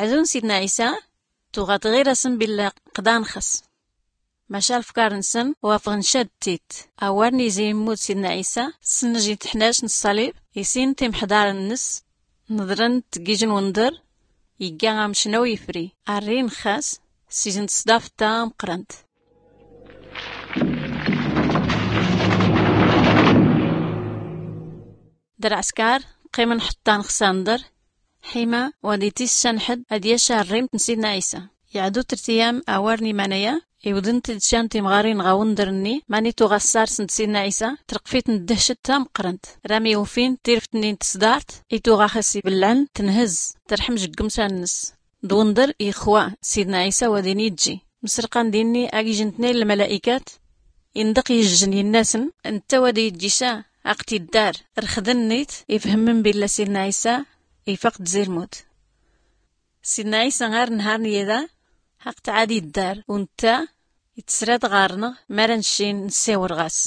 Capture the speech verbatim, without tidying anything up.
Ɛdu n sidna ɛisa tuɣa tɣir-asn billa qḍan-xs. Maca lfkar-nsn wafɣn cadd-t-id. Awar n-izi immut sidna ɛisa, snn-j itḥnac n ṣṣalib, isin timḥḍar-ns, nḍrn-t g-ij n-wndr, igga amcnaw ifri. Arrin-xas s-ij n-tṣḍaft tamqrnt. D-lɛskar qqimn ḥṭṭan-x s-andr, ḥima wa d-itissanḥ-d ad-yac arrimt n-sidna ɛisa. Iɛdu trt iyam awar n-iman-aya, iwdn-t-id can timɣarin ɣ-awndr-nni mani tuɣa ssars n-sidna ɛisa. Trqf-itn ddhct tamqrnt, rami ufin tirft-nni n-tṣdart i tuɣa xas-iblɛn, tnhz, trḥm jgmsa-ns. D-wndr ixwa sidna ɛisa wa din-ijji. Msrqan dinni a-g-ijn tnayn lmala'ikat. Indq ijjn inna-sn, ntta wa d-ijji ca aqt-iddar. Rxdn-it ifhmn billa sidna ɛisa ifaq-d zi lmut. Sidna ɛisa ar nhar n-yada aqt-ad-iddar, u ntta itsrad ɣarnɣ mara ncin nssiwr ɣas.